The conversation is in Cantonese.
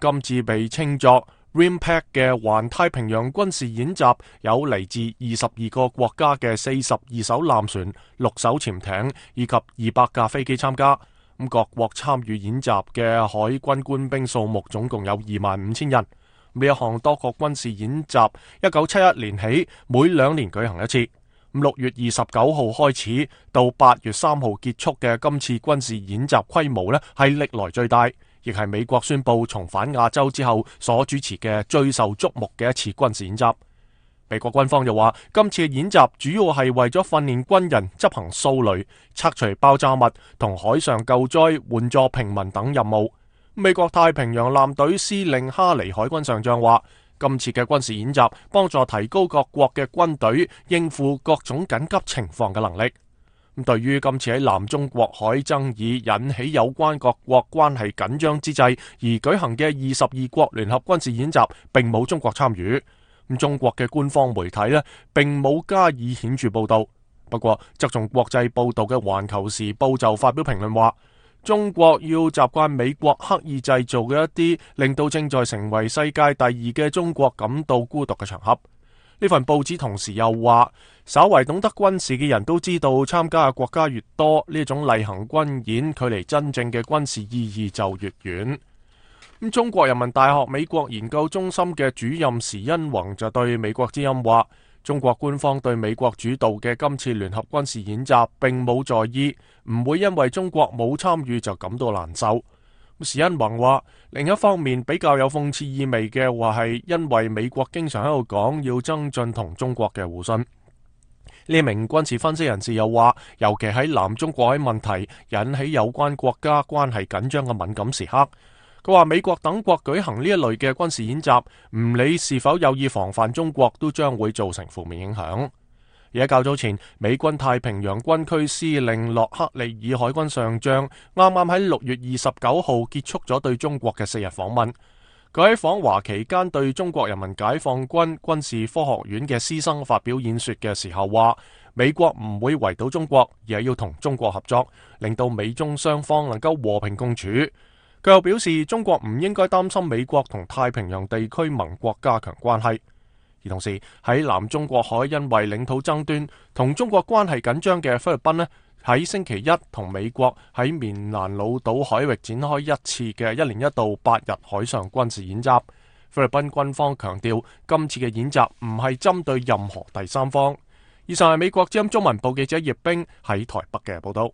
今次被稱作 RIMPAC 嘅環太平洋軍事演習，有嚟自22個國家嘅42艘艦船、6艘潛艇以及200架飛機參加。各國參與演習嘅海軍官兵數目總共有25,000人。呢一項多國軍事演習1971年起每2年舉行一次。6月29號開始到8月3號結束嘅今次軍事演習規模呢係歷來最大，亦係美國宣布重返亞洲之後所主持嘅最受矚目嘅一次軍事演習。美國軍方就話，今次嘅演習主要係為咗訓練軍人執行掃雷、拆除爆炸物同海上救災、援助平民等任務。美國太平洋艦隊司令哈尼海軍上將話，今次嘅軍事演習幫助提高各國嘅軍隊應付各種緊急情況嘅能力。對於今次喺南中國海爭議引起有關各國關係緊張之際而舉行嘅22國聯合軍事演習，並冇中國參與。中國嘅官方媒體呢並冇加以顯著報道。不過側重國際報道嘅《環球時報》就發表評論話，中國要習慣美國刻意製造嘅一啲令到正在成為世界第2嘅中國感到孤獨嘅場合。呢份報紙同時又話，稍為懂得軍事嘅人都知道，參加嘅國家越多，呢種例行軍演距離真正嘅軍事意義就越遠。中國人民大學美國研究中心嘅主任時殷弘就對美國之音話，中國官方對美國主導嘅今次聯合軍事演習並冇在意，唔會因為中國冇參與就感到難受。時殷弘話，另一方面比較有諷刺意味嘅話係，因為美國經常喺度講要增進同中國嘅互信。呢名軍事分析人士又話，尤其喺南中國海問題引起有關國家關係緊張嘅敏感時刻，佢話美國等國舉行呢一類嘅軍事演習，唔理是否有意防範中國，都將會造成負面影響。而喺較早前，美軍太平洋軍區司令洛克利爾海軍上將啱啱喺6月29號結束咗對中國嘅4日訪問。佢喺訪華期間對中國人民解放軍軍事科學院嘅師生發表演說嘅時候話，美國唔會圍堵中國，而係要同中國合作，令到美中雙方能夠和平共處。佢又表示，中國唔應該擔心美國同太平洋地區盟國加強關係。而同時喺南中國海因為領土爭端同中國關係緊張嘅菲律賓呢，喺星期一同美國喺棉蘭老島海域展開一次嘅1年1度8日海上軍事演習。菲律賓軍方強調，今次嘅演習唔係針對任何第三方。以上係美國之音中文部記者葉冰喺台北嘅報道。